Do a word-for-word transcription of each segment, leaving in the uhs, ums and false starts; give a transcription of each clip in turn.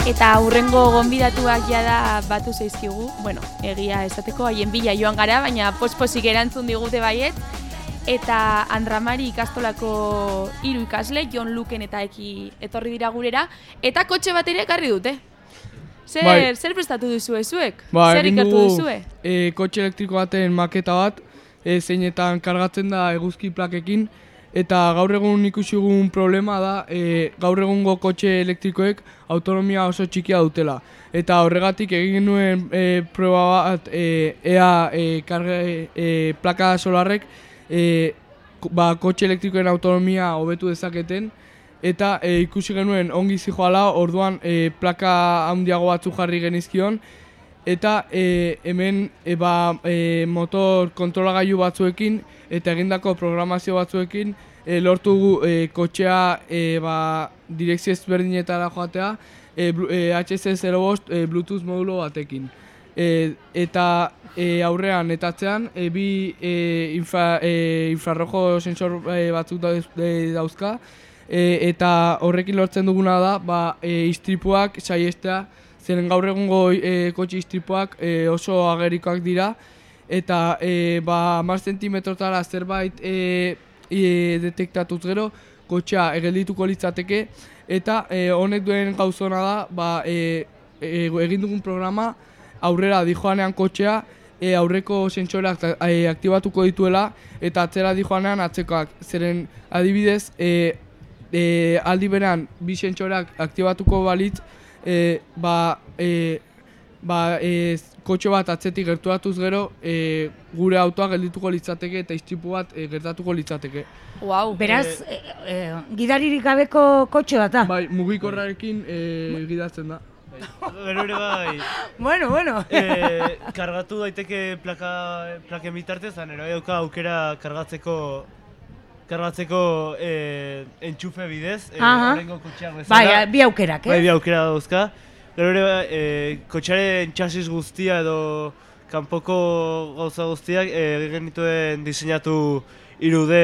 Eta hurrengo gonbidatuak jada batu zaizkigu, bueno, egia esateko haien bila joan gara, baina posposik erantzun digute baiet. Eta Andramari ikastolako hiru ikasle, Jon Luken eta Eki etorri dira gurera, eta kotxe bat ere ekarri dute. Zer, bai. zer prestatu duzue zuek? Ba, zer ikertu duzue? E, kotxe elektriko baten maketa bat, e, zeinetan kargatzen da eguzki plakekin, eta gaur egun ikusi dugun problema da, e, gaur egungo kotxe elektrikoek autonomia oso txikia dutela. Eta horregatik egin genuen e, proba bat, e, ea e, karge, e, plaka solarrek e, ba, kotxe elektrikoen autonomia hobetu dezaketen, eta e, ikusi genuen ongi zijoala, orduan e, plaka handiago batzu jarri genizkion, eta e, hemen e, ba, e, motor kontrolagailu batzuekin eta egindako programazio batzuekin e, lortu e, kotxea e, ba, direkzio ezberdinetara joatea e, e, H C zero bost e, Bluetooth modulo batekin. E, eta e, aurrean eta atzean e, bi e, infra, e, infrarrojo sensor e, batzuk dauzka, e, eta horrekin lortzen duguna da ba, e, istripuak saiestea, zeren gaur egungo e, kotxe istripuak e, oso agerikoak dira, eta e, ba, hamar zentimetrotara zerbait e, e, detektatuz gero, kotxea egeldituko litzateke, eta e, honek duen gauzona da, ba, e, e, egin dugun programa aurrera dijoanean kotxea, e, aurreko sentsoreak e, aktibatuko dituela, eta atzera dijoanean atzekoak. Zeren adibidez, e, e, aldi beran bi sentsoreak aktibatuko balitz, e, ba, e, ba, e, kotxe bat atzetik gerturatuz gero, e, gure autoa geldituko litzateke eta istripu bat e, gertatuko litzateke. Wow. Beraz, e, e, gidaririk gabeko kotxe bat da? Bai, mugikorrarekin e, gidatzen da. Gero ere bai. Bueno, bueno. E, kargatu daiteke plaka, plaken bitartez, ere bai dauka aukera kargatzeko kargatzeko e, entxufe bidez, e, horrengo kotxeak bezala. Bai, bi aukerak, eh? Bai, bi aukera dauzka. Gero ere bai, e, kotxearen txasis guztia edo kanpoko gauza guztiak egin genituen diseinatu hiru D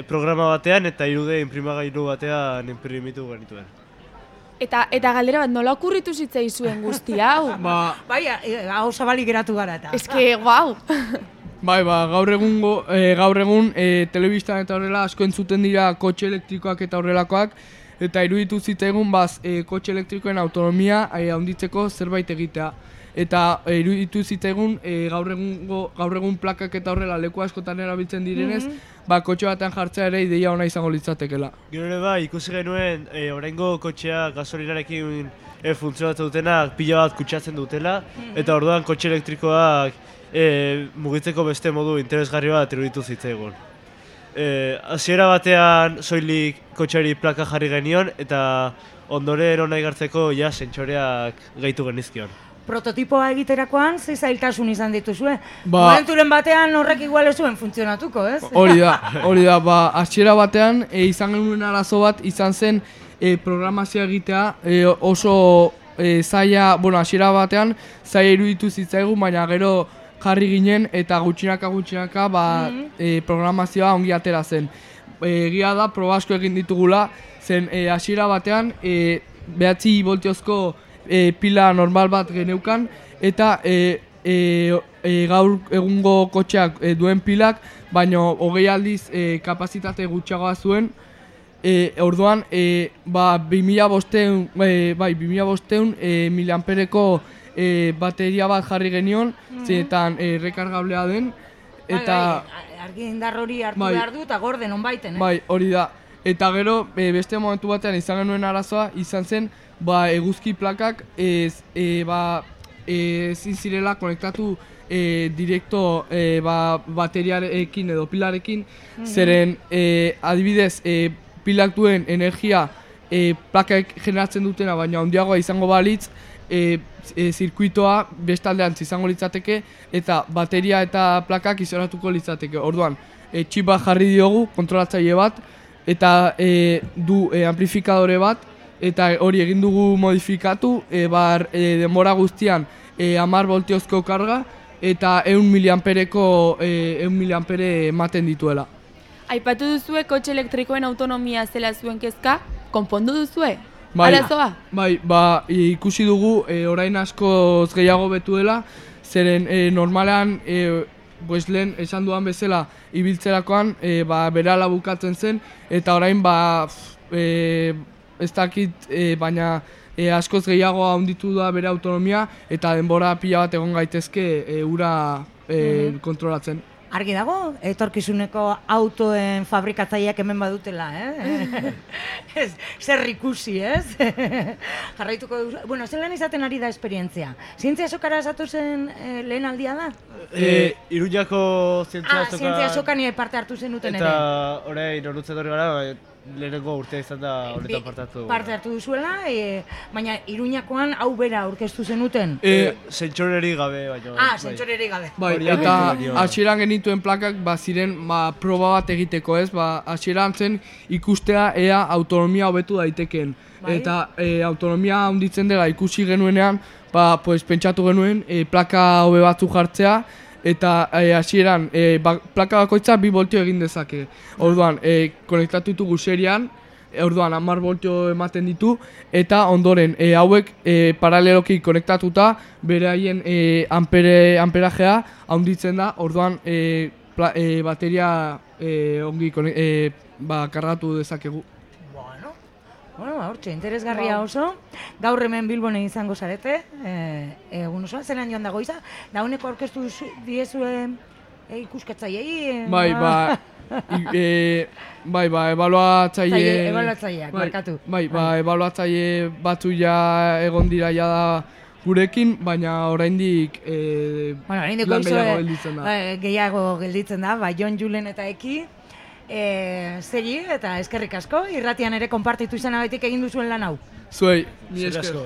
programa batean eta hiru D inprimagailu batean inprimitu genituen. Eta, eta galdera bat, nola okurritu zitzaizuen guzti hau? Ba, bai, hau zabalik geratu gara eta. Ez que, guau! Bai, ba, gaur egungo, e, gaur egun e, telebistan eta horrela asko entzuten dira kotxe elektrikoak eta horrelakoak, eta iruditu zitzaigun baz e, kotxe elektrikoen autonomia e, handitzeko zerbait egitea. Eta e, iruditu zitzaigun e, gaur egungo, gaur egun plakak eta horrela leku askotan erabiltzen direnez, mm -hmm. ba, kotxe batean jartzea ere ideia ona izango litzatekela. Gero ere bai, ikusi genuen e, oraingo kotxea gasolinarekin e, funtzionatzen dutenak pila bat kutsatzen dutela, mm -hmm. eta orduan kotxe elektrikoak e, mugitzeko beste modu interesgarri bat iruditu zitzaigun. Hasiera batean soilik kotxeari plaka jarri genion eta ondoren ona igartzeko ja sentsoreak gehitu genizkion. Prototipoa egiterakoan ze zailtasun izan dituzue? Ba, momenturen batean horrek igual ez zuen funtzionatuko, ez? Hori da, hori da, ba, hasiera batean e, izan genuen arazo bat izan zen e, programazioa egitea e, oso e, zaila, bueno, hasiera batean zaila iruditu zitzaigun, baina gero jarri ginen eta gutxinaka gutxinaka ba, mm -hmm. e, programazioa ongi atera zen. Egia da, proba asko egin ditugula, zen e, hasiera batean e, behatzi voltiozko E, pila normal bat geneukan, eta e, e, e, gaur egungo kotxeak e, duen pilak, baino hogei aldiz e, kapazitate gutxiagoa zuen. E, orduan, e, ba, bi mila bostehun e, bai, bi mila bostehun e, miliampereko e, bateria bat jarri genion, mm -hmm. zenetan e, rekargablea den. Eta, bai, bai, argi indar hori hartu bai, behar du eta gorde non baiten, eh? Bai, hori da. Eta gero, e, beste momentu batean izan genuen arazoa, izan zen, ba, eguzki plakak ez e, ba, e, zirela konektatu e, direkto e, ba, bateriarekin edo pilarekin, mm -hmm. zeren e, adibidez e, pilak duen energia e, plakak generatzen dutena, baina handiagoa izango balitz, e, e, zirkuitoa bestaldeantz izango litzateke eta bateria eta plakak izoratuko litzateke. Orduan, e, txip bat jarri diogu, kontrolatzaile bat, eta e, du e, amplifikadore bat, eta hori egin dugu modifikatu, e, bar, e, denbora guztian e, hamar voltiozko karga, eta ehun miliampereko e, ehun miliampere ematen dituela. Aipatu duzue kotxe elektrikoen autonomia zela zuen kezka, konpondu duzue? Bai, arazoa? bai, ba, ikusi dugu e, orain askoz gehiago betu dela, zeren e, normalean, e, pues lehen esan duan bezala, ibiltzerakoan, e, ba, berala bukatzen zen, eta orain, ba, e, ez dakit, e, baina e, askoz gehiago handitu da bere autonomia, eta denbora pila bat egon gaitezke e, ura e, kontrolatzen. Argi dago, etorkizuneko autoen fabrikatzaileak hemen badutela, eh? Ez, zer ikusi, ez? Jarraituko duzu. Bueno, zelan izaten ari da esperientzia? Zientzia sokara esatu zen eh, lehen aldia da? E, Iruñako zientzia Ah, azoka... zientzia sokani parte hartu zenuten ere. Eta orain onutzen dori gara, lehenengo urtea izan da honetan parte hartu dugu. Parte hartu duzuela, e, baina Iruñakoan hau bera aurkeztu zenuten. E, Zentxoreri gabe, baina... Ah, zentxoreri gabe. Bai, Hori eta abentu hasieran genituen plakak ba ziren ba, proba bat egiteko, ez? Ba, hasieran zen ikustea ea autonomia hobetu daitekeen. Bai. Eta e, autonomia handitzen dela ikusi genuenean, ba, pues, pentsatu genuen e, plaka hobe batzu jartzea, eta e, hasieran e, ba, plaka bakoitza bi voltio egin dezake. Orduan, e, konektatu ditugu serian, e, orduan hamar voltio ematen ditu, eta ondoren e, hauek e, paraleloki konektatuta bere haien e, ampere, amperajea handitzen da, orduan e, pla, e, bateria e, ongi konek, e, ba, kargatu dezakegu. Bueno, bueno, hortxe, interesgarria oso. Gaur hemen Bilbone izango zarete, eh, egun osoan, zelan joan dago iza. Dauneko aurkeztu duzu- diezue e, ikuskatzaileei. eh, Bai, ba, i- e, bai, ba, ebaluatzaile... Zaile- ebaluatzaileak, bai, barkatu. Bai, ba, ebaluatzaile batzu ja egon dira ja da gurekin, baina oraindik e, Bueno, oraindik lan oizo, gehiago eh, gelditzen da. eh, gehiago gelditzen da, ba, Jon Julen eta Eki. E, zeri eta eskerrik asko, irratian ere konpartitu izanagatik egin duzuen lan hau. Zuei, mi Zer esker. asko.